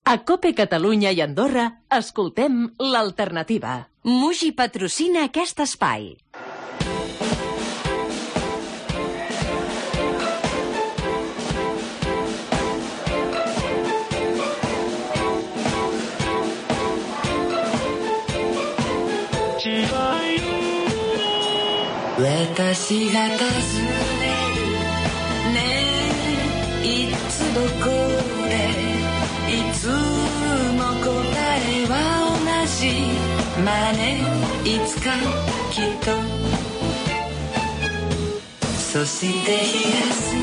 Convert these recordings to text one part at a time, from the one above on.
A COPE Catalunya i Andorra, escoltem l'alternativa. Muji patrocina aquest espai. Watashi ga tazuneru ne itsu doko de itsumo kotae wa onaji ma ne itsuka kitto soshite higasu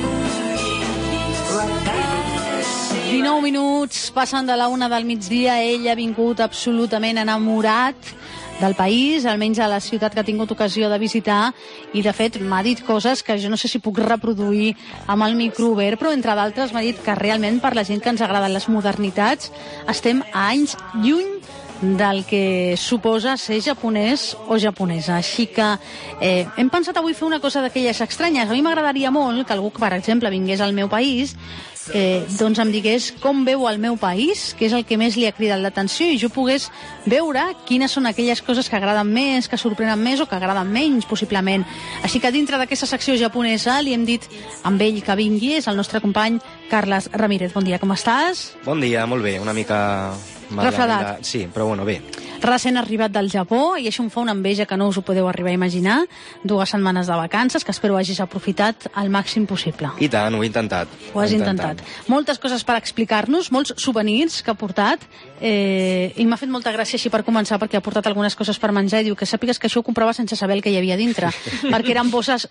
19 minuts passen de la 1 del migdia. Ell ha vingut absolutament enamorat del país, almenys a la ciutat que ha tingut ocasió de visitar, i de fet m'ha dit coses que jo no sé si puc reproduir amb el micro obert, però entre d'altres m'ha dit que realment per la gent que ens agraden les modernitats estem a anys lluny del que suposa ser japonès o japonesa. Així que hem pensat avui fer una cosa d'aquelles estranyes. A mi m'agradaria molt que algú, per exemple, vingués al meu país, doncs em digués com veu el meu país, què és el que més li ha cridat l'atenció, i jo pogués veure quines són aquelles coses que agraden més, que sorprenen més o que agraden menys, possiblement. Així que dintre d'aquesta secció japonesa li hem dit amb ell que vingui, és el nostre company Carles Ramírez. Bon dia, com estàs? Bon dia, molt bé, una mica... refredat. Sí, però bueno, bé. Recent arribat del Japó, i això em fa una enveja que no us ho podeu arribar a imaginar. 2 setmanes de vacances que espero hagis aprofitat al màxim possible. I tant, ho he intentat. Ho has intentat. Moltes coses per explicar-nos, molts souvenirs que ha portat, i m'ha fet molta gràcia així per començar, perquè ha portat algunes coses per menjar i diu que sàpigues que això ho comprava sense saber el que hi havia dintre, perquè eren bosses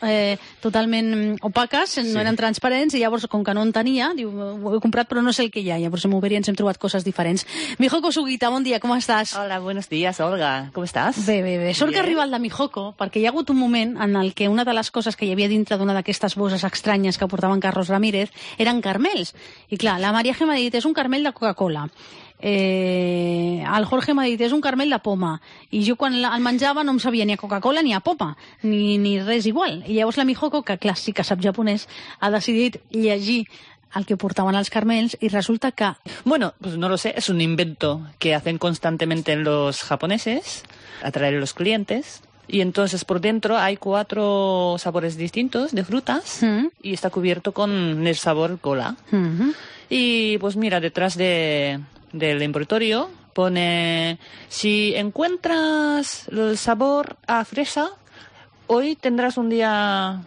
totalment opaques, no eren transparents, i llavors, com que no en tenia, diu, ho he comprat però no sé el que hi ha. Llavors hem obert i ens hem trobat coses diferents. Mihoko Sugita, bon dia, com estàs? Hola, buenos días, Olga. Com estàs? Bé. Sort que arriba el de Mihoko, perquè hi ha hagut un moment en el que una de les coses que hi havia dintre d'una d'aquestes bosses estranyes que portaven Carlos Ramírez eren carmels. I clar, la Maria G m'ha dit, és un carmel de Coca-Cola. El Jorge m'ha dit, és un carmel de poma. I jo quan el menjava no em sabia ni a Coca-Cola ni a poma, ni res igual. I llavors la Mihoko, que clar, sí que sap japonès, ha decidit llegir al que portaban los carmels, y resulta que... Bueno, pues no lo sé, es un invento que hacen constantemente los japoneses, atraer a los clientes, y entonces por dentro hay 4 sabores distintos de frutas, y está cubierto con el sabor cola. Y pues mira, detrás del envoltorio pone, si encuentras el sabor a fresa, hoy tendrás un día...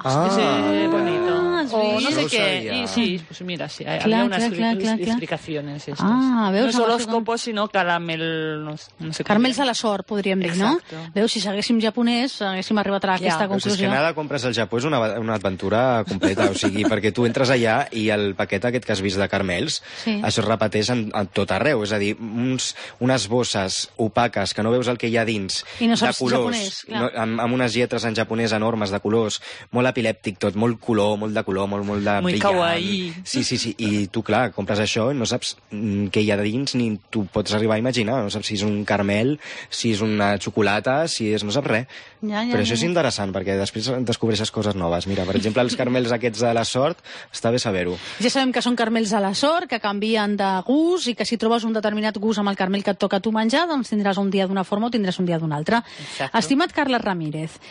bonito. O no sé qué. Y sí, pues mira, sí, había unas explicaciones. Veus, no és horóscopo, sinó caramel... No sé Caramels a la sort, podríem dir, no? Veus, si seguéssim japonès, haguéssim arribat a aquesta conclusió. És que anar de compres al Japó és una aventura completa, o sigui, perquè tu entres allà i el paquet aquest que has vist de carmels, això es repeteix a tot arreu, és a dir, unes bosses opaques que no veus el que hi ha dins, de colors, amb unes lletres en japonès enormes de colors, molt epilèptic tot, molt color, molt de color, molt de brillant. Muy kawaii. Sí, i tu, clar, compres això i no saps què hi ha dins, ni tu pots arribar a imaginar, no saps si és un carmel, si és una xocolata, si és... no saps res. Però això és interessant, perquè després descobreixes coses noves. Mira, per exemple, els carmels aquests de la sort, està bé saber-ho. Ja sabem que són carmels de la sort, que canvien de gust, i que si trobes un determinat gust amb el carmel que et toca a tu menjar, doncs tindràs un dia d'una forma o tindràs un dia d'una altra. Estimat Carles Ramírez,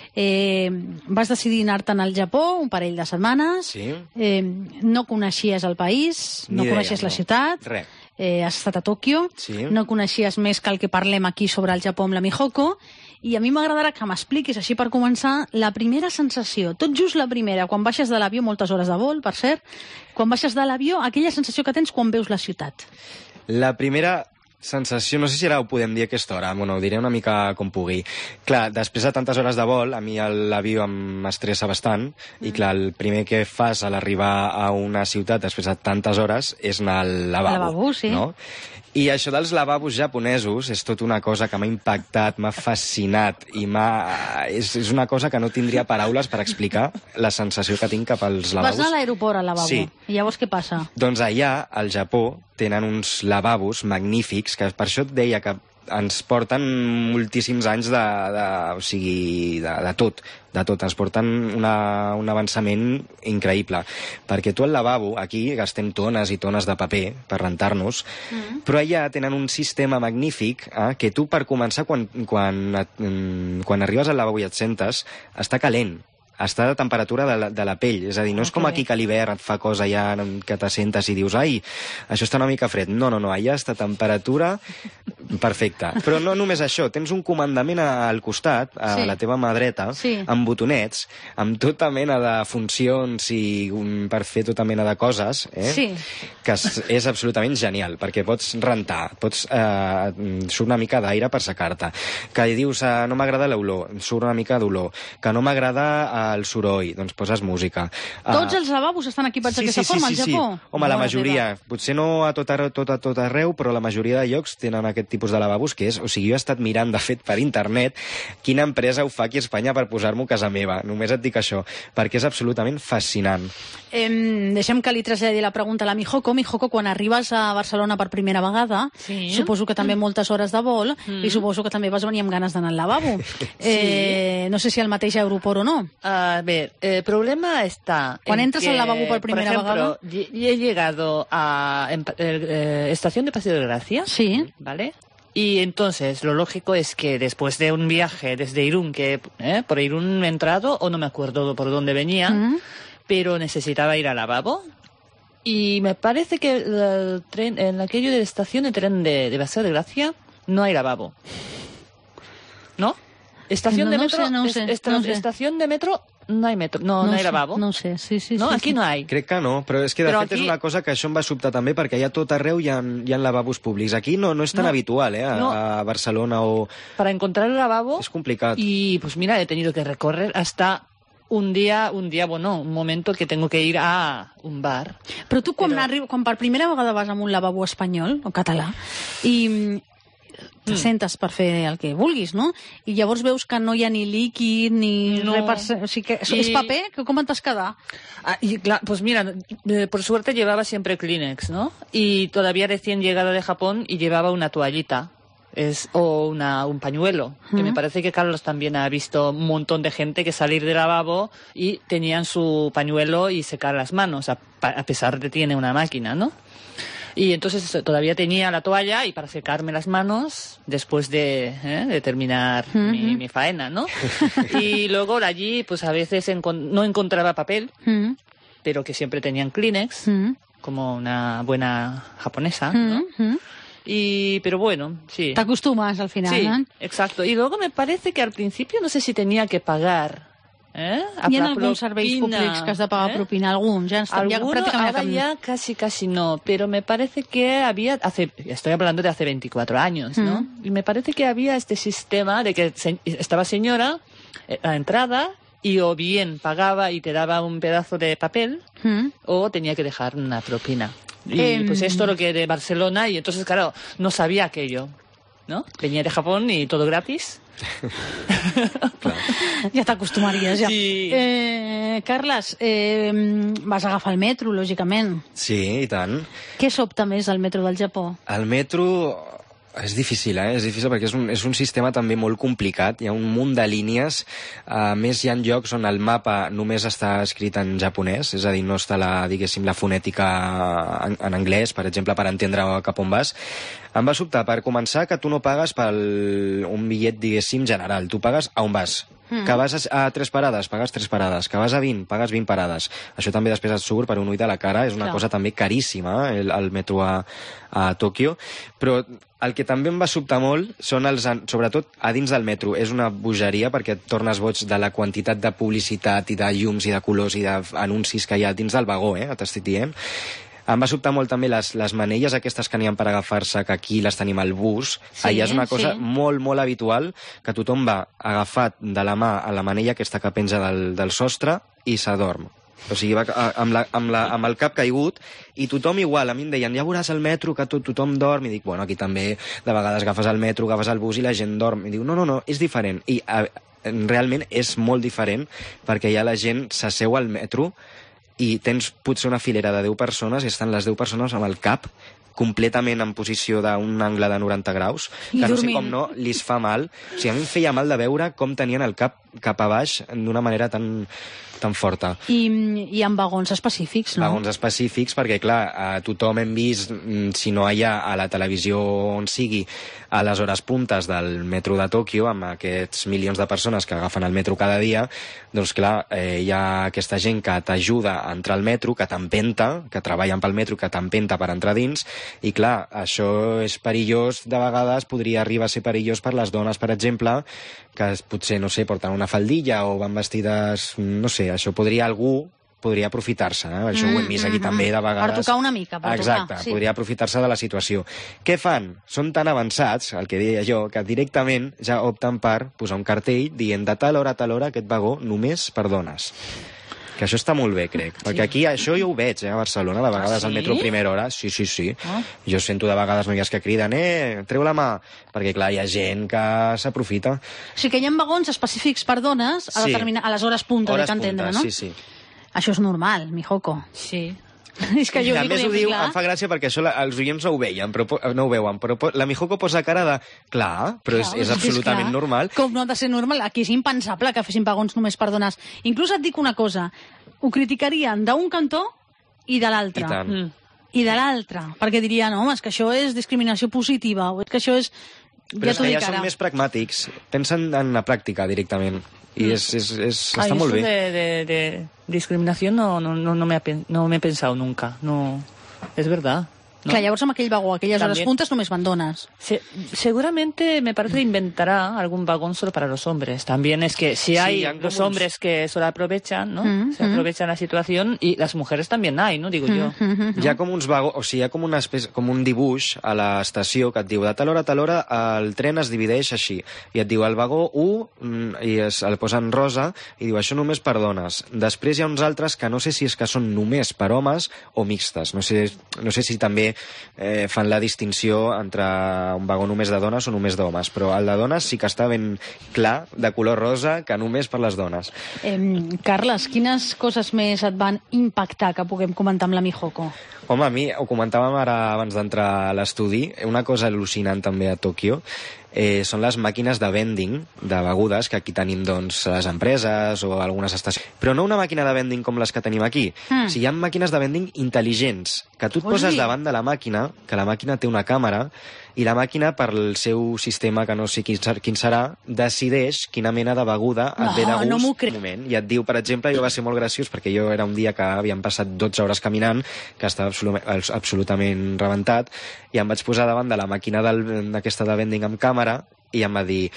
vas decidir anar-te'n al Japó un parell de setmanes, no coneixies el país, no coneixies la ciutat, has estat a Tòquio, no coneixies més que el que parlem aquí sobre el Japó amb la Mihoko, i a mi m'agradarà que m'expliquis, així per començar, la primera sensació, tot just la primera, quan baixes de l'avió, moltes hores de vol, per cert, quan baixes de l'avió, aquella sensació que tens quan veus la ciutat. La primera sensació, no sé si ara ho podem dir a aquesta hora, bueno, ho diré una mica com pugui. Clar, després de tantes hores de vol, a mi l'avió m'estressa bastant, i clar, el primer que fas a l'arribar a una ciutat després de tantes hores és anar al lavabo. No? I això dels lavabos japonesos és tot una cosa que m'ha impactat, m'ha fascinat, i és una cosa que no tindria paraules per explicar la sensació que tinc cap als lavabos. Vas anar a l'aeroport, al lavabo, i llavors què passa? Doncs allà, al Japó, tenen uns lavabos magnífics, que per això et deia que ens porten moltíssims anys de tot. Ens porten un avançament increïble. Perquè tu al lavabo, aquí gastem tones i tones de paper per rentar-nos, però allà tenen un sistema magnífic que tu, per començar, quan arribes al lavabo i et sentes, està calent. Està a temperatura de la pell, és a dir, no és com aquí que a l'hivern et fa cosa ja que t'assentes i dius, ai, això està una mica fred. No, allà està a temperatura perfecta. Però no només això, tens un comandament al costat, a la teva mà dreta, amb botonets, amb tota mena de funcions i per fer tota mena de coses, que és absolutament genial, perquè pots rentar, surt una mica d'aire per secar-te, que dius, no m'agrada l'olor, surt una mica d'olor, que no m'agrada el soroll, doncs poses música. Tots els lavabos estan equipats d'aquesta forma al Japó? Home, la majoria. Potser no a tot arreu, però la majoria de llocs tenen aquest tipus de lavabos que és... O sigui, jo he estat mirant, de fet, per internet, quina empresa ho fa aquí a Espanya per posar-m'ho a casa meva. Només et dic això, perquè és absolutament fascinant. Deixem que li traslladi la pregunta a la Mijoko. Mijoko, quan arribes a Barcelona per primera vegada, suposo que també moltes hores de vol, i suposo que també vas venir amb ganes d'anar al lavabo. No sé si al mateix aeroport o no. A ver, el problema está... Cuando entras al lavabo por primera vez. Por ejemplo, he llegado a Estación de Paseo de Gracia. Sí. ¿Vale? Y entonces lo lógico es que después de un viaje desde Irún, que por Irún he entrado, o no me acuerdo por dónde venía, pero necesitaba ir al lavabo. Y me parece que el tren, en aquello de la estación de tren de Paseo de Gracia no hay lavabo. ¿No? Estación de metro, estación de metro, no hay metro, no hay lavabo. No sé, sí. No, aquí no hay. Crec que no, però és que de fet és una cosa que això em va sobtar també, perquè allà tot arreu hi ha lavabos públics. Aquí no és tan habitual, a Barcelona o... Para encontrar el lavabo... És complicat. Y pues mira, he tenido que recorrer hasta... un momento que tengo que ir a un bar. Però tu quan per primera vegada vas a un lavabo espanyol o català i te sentes per fer el que vulguis, no? I llavors veus que no hi ha ni líquid ni res o sigui que és paper, com et vas quedar? Pues mira, por suerte llevaba siempre Kleenex, ¿no? Y todavía recién llegada de Japón y llevaba una toallita. O un pañuelo, que me parece que Carlos también ha visto un montón de gente que salir del lavabo y tenían su pañuelo y secar las manos, a pesar de que tiene una máquina, ¿no? Y entonces todavía tenía la toalla y para secarme las manos después de terminar mi faena, ¿no? Y luego allí pues a veces no encontraba papel, pero que siempre tenían Kleenex, como una buena japonesa, ¿no? Pero bueno, sí. Te acostumas al final, sí, ¿no? Exacto. Y luego me parece que al principio no sé si tenía que pagar. Hi ha alguns serveis públics que has de pagar propina, alguns. Ahora ya casi no, pero me parece que había, estoy hablando de hace 24 años, ¿no? Y me parece que había este sistema de que estaba señora a la entrada y o bien pagaba y te daba un pedazo de papel o tenía que dejar una propina. Y pues esto lo que de Barcelona, y entonces claro, no sabía aquello, ¿no? Venía de Japón y todo gratis. Ja t'acostumaries, ja. Sí. Carles, vas agafar el metro, lògicament. Sí, i tant. Què sobta més al metro del Japó? El metro... És difícil, és difícil perquè és un sistema també molt complicat, hi ha un munt de línies, a més hi ha llocs on el mapa només està escrit en japonès, és a dir, no està diguéssim, la fonètica en anglès, per exemple, per entendre cap on vas. Em va sobtar, per començar, que tu no pagues per un bitllet, diguéssim, general, tu pagues a on vas. Que vas a 3 parades, pagues 3 parades. Que vas a 20, pagues 20 parades. Això també després et surt per un ull de la cara. És una cosa també caríssima, el metro a Tòquio. Però el que també em va sobtar molt són sobretot a dins del metro. És una bogeria perquè et tornes boig de la quantitat de publicitat i de llums i de colors i d'anuncis que hi ha dins del vagó, t'estic dient. Em va sobtar molt també les manelles aquestes que n'hi ha per agafar-se, que aquí les tenim al bus. Allà és una cosa molt, molt habitual, que tothom va agafat de la mà a la manella aquesta que penja del sostre i s'adorm. O sigui, va amb el cap caigut, i tothom igual. A mi em deien, ja veuràs el metro, que tothom dorm. I dic, bueno, aquí també de vegades agafes el metro, agafes el bus i la gent dorm. I diu, no, és diferent. I realment és molt diferent, perquè ja la gent s'asseu al metro i tens potser una filera de 10 persones i estan les 10 persones amb el cap completament en posició d'un angle de 90 graus, que no sé com no li fa mal. O sigui, a mi em feia mal de veure com tenien el cap a baix d'una manera tan forta. I amb vagons específics, no? Vagons específics, perquè, clar, tothom hem vist, si no allà a la televisió on sigui, a les hores puntes del metro de Tòquio, amb aquests milions de persones que agafen el metro cada dia, doncs, clar, hi ha aquesta gent que t'ajuda a entrar al metro, que t'empenta, que treballen pel metro, que t'empenta per entrar dins, i, clar, això és perillós, de vegades podria arribar a ser perillós per les dones, per exemple, que potser, no sé, porten una faldilla o van vestides, no sé, això algú podria aprofitar-se, això ho hem vist aquí també de vegades. Per tocar una mica, per tocar. Exacte, sí. Podria aprofitar-se de la situació. Què fan? Són tan avançats, el que deia jo, que directament ja opten per posar un cartell dient de tal hora a tal hora aquest vagó només per dones. Que això està molt bé, crec. Perquè aquí això jo ho veig, a Barcelona, de vegades al metro primera hora. Sí. Jo sento de vegades noies que criden, treu la mà, perquè, clar, hi ha gent que s'aprofita. O sigui que hi ha vagons específics per dones a les hores punta, de que entendre, no? Sí. Això és normal, Mijoko. Sí. És que jo a més ho diu, em fa gràcia perquè això els oients no ho veuen, però la Mijoko posa cara de clar, però és absolutament normal. Com no ha de ser normal? Aquí és impensable que fessin vagons només per dones. Inclús et dic una cosa, ho criticarien d'un cantó i de l'altre. I tant. I de l'altre, perquè dirien, no, és que això és discriminació positiva, o és que això és... Però és que ja són més pragmàtics, pensen en la pràctica directament. Y está muy bien. De discriminación no me he pensado nunca. No, es verdad. ¿no? Clar, llavors amb aquell vagó, aquelles horas puntas només van dones. Seguramente me parece que inventará algún vagón solo para los hombres. También es que si hay los hombres que solo aprovechan, ¿no? Se aprovechan la situación y las mujeres también hay, ¿no? Digo yo. Hi ha com uns vagons, o sigui, hi ha com una espècie, com un dibuix a l'estació que et diu de tal hora a tal hora el tren es divideix així. I et diu el vagó 1 i el posen rosa i diu això només per dones. Després hi ha uns altres que no sé si és que són només per homes o mixtes. No sé si també fan la distinció entre un vagó només de dones o només d'homes, però el de dones sí que està ben clar, de color rosa, que només per les dones. Carles, quines coses més et van impactar que puguem comentar amb la Mijoko? Home, a mi, ho comentàvem ara abans d'entrar a l'estudi, una cosa al·lucinant també a Tòquio són les màquines de vending de begudes que aquí tenim doncs les empreses o algunes estacions. Però no una màquina de vending com les que tenim aquí. O sigui, hi ha màquines de vending intel·ligents, que tu et poses davant de la màquina, que la màquina té una càmera, i la màquina, per el seu sistema, que no sé quin serà, decideix quina mena de beguda et ve de gust un moment. I et diu, per exemple, jo va ser molt graciós, perquè jo era un dia que havíem passat 12 hores caminant, que estava absolutament rebentat, i em vaig posar davant de la màquina d'aquesta de vending amb càmera, i em va dir,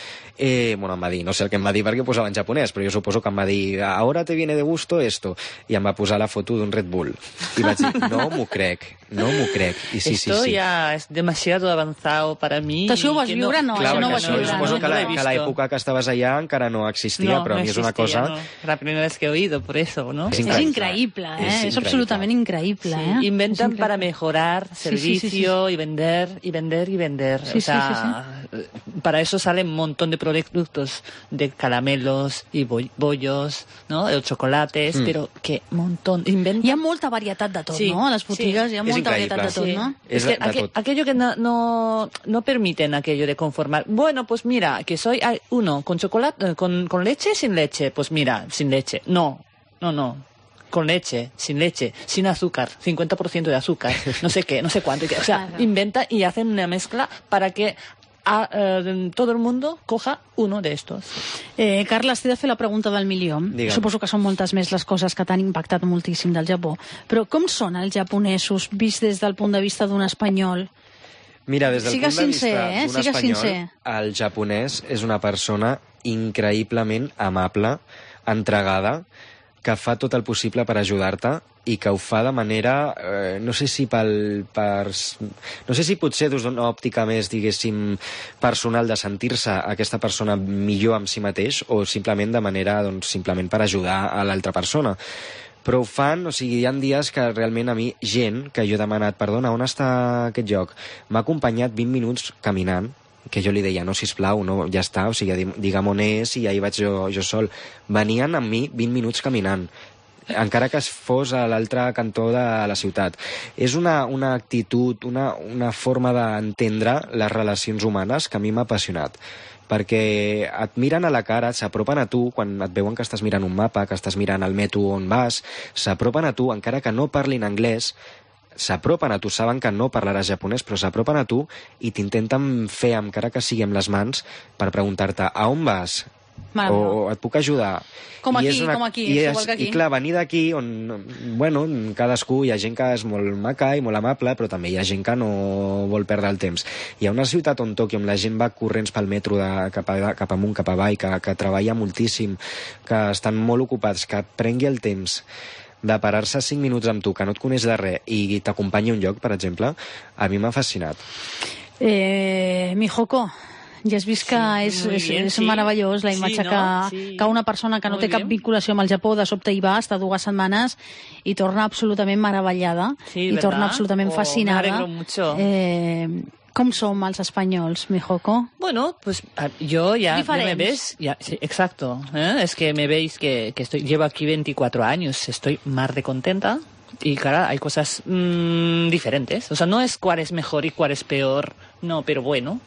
no sé el que em va dir perquè posava en japonès, però jo suposo que em va dir, ahora te viene de gusto esto, i em va posar la foto d'un Red Bull. I vaig dir, no m'ho crec. I sí. Esto ya es demasiado avanzado para mí. Això ho vas viure? No, clar, això no ho vas viure. Suposo que l'època que estaves allà encara no existia, però a mi és una cosa... No. La primera vez que he oído, por eso, ¿no? Es increíble, es absolutamente increíble. Sí. Inventan para mejorar servicio y vender. Sí, o sea, para eso salen un montón de productos de caramelos y bollos, ¿no? De chocolates, pero que montón. Hi ha molta varietat de tot, no? A les botigues hi ha molta varietat de tot, ¿no? Es que aquello que no permiten aquello de conformar. Bueno, pues mira, que soy uno con chocolate, con leche, sin leche. Pues mira, sin leche. No. Con leche, sin azúcar, 50% de azúcar, no sé qué, no sé cuánto. O sea, inventan y hacen una mezcla para que todo el mundo coja uno de estos. Carles, t'he de fer la pregunta del milió. Digue'm. Suposo que són moltes més les coses que t'han impactat moltíssim del Japó. Però com són els japonesos vist des del punt de vista d'un espanyol? Mira, des del punt de vista d'un espanyol, sincer. el japonès és una persona increïblement amable, entregada, que fa tot el possible per ajudar-te i que ho fa de manera, no sé si no sé si potser des d'una òptica més, diguéssim, personal de sentir-se aquesta persona millor amb si mateix o simplement de manera, doncs, simplement per ajudar a l'altra persona. Però ho fan, o sigui, hi ha dies que realment a mi, gent que jo he demanat, perdona, on està aquest lloc? M'ha acompanyat 20 minuts caminant, que jo li deia, no, sisplau, no, ja està, o sigui, digue'm on és i ahir vaig jo sol. Venien amb mi 20 minuts caminant. encara que es fos a l'altre cantó de la ciutat. És una actitud, una forma d'entendre les relacions humanes que a mi m'ha apassionat, perquè et miren a la cara, s'apropen a tu quan et veuen que estàs mirant un mapa, que estàs mirant el metro on vas, s'apropen a tu, encara que no parlin anglès, s'apropen a tu, saben que no parlaràs japonès, però s'apropen a tu i t'intenten fer, encara que sigui amb les mans, per preguntar-te a on vas, o et puc ajudar. Com aquí, igual que aquí. I clar, venir d'aquí on, bueno, cadascú, hi ha gent que és molt maca i molt amable, però també hi ha gent que no vol perdre el temps. Hi ha una ciutat on Tòquio, on la gent va corrents pel metro cap amunt, cap avall, que treballa moltíssim, que estan molt ocupats, que prengui el temps de parar-se 5 minuts amb tu, que no et coneix de res, i t'acompanyi a un lloc, per exemple, a mi m'ha fascinat. Mijoko, ja has vist que és meravellós la imatge que una persona que no té cap vinculació amb el Japó de sobte hi va, està 2 setmanes i torna absolutament meravellada i torna absolutament fascinada. Com som els espanyols, Mijoko? Bueno, pues yo ya me ves, sí, exacto, es que me veis que llevo aquí 24 años, estoy más de contenta. Y claro, hay cosas diferentes, o sea, no es cuál es mejor y cuál es peor, no, pero bueno.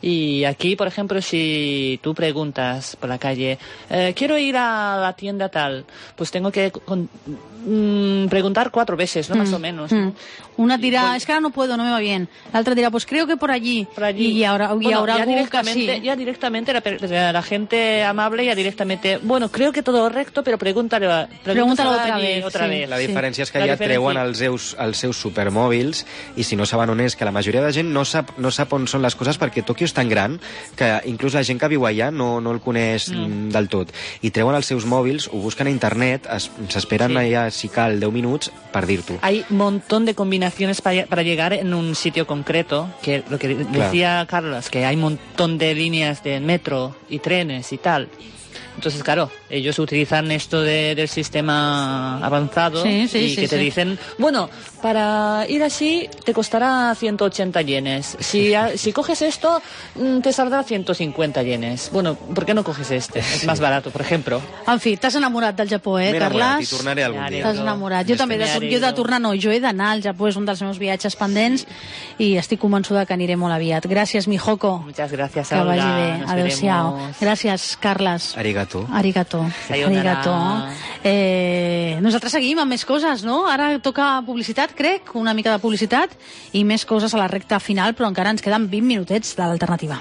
Y aquí, por ejemplo, si tú preguntas por la calle, quiero ir a la tienda tal, pues tengo que preguntar 4 veces, ¿no? Más o menos. ¿No? Una dirá, es que ahora no puedo, no me va bien. La otra dirá, pues creo que por allí. Y ahora ya directamente la gente amable ya directamente, bueno, creo que todo recto, pero pregúntalo otra vez. La diferència és que ja treuen els seus supermòbils i si no saben on és, que la majoria de gent no sap on són les coses perquè Tòquio és tan gran que inclús la gent que viu allà no el coneix del tot. I treuen els seus mòbils, ho busquen a internet, s'esperen allà, si cal, 10 minuts per dir-t'ho. Hay un montón de combinaciones para llegar en un sitio concreto, que lo que decía Carlos, que hay un montón de líneas de metro y trenes y tal. Entonces, claro, ellos utilizan esto del sistema avanzado te dicen, bueno, para ir así te costará 180 yenes. Si coges esto, te saldrá 150 yenes. Bueno, ¿por qué no coges este? Es más barato, por ejemplo. En fi, t'has enamorat del Japó, Carles? I tornaré algun dia. T'has enamorat. Jo també, jo he d'anar al Japó, és un dels meus viatges pendents i estic convençuda que aniré molt aviat. Gràcies, Mijoko. Muchas gracias, Olga. Que vagi bé. Adéu-siau. Gràcies, Carles. Arigato. Nosaltres seguim amb més coses, no? Ara toca publicitat, crec, una mica de publicitat i més coses a la recta final, però encara ens queden 20 minutets de l'alternativa.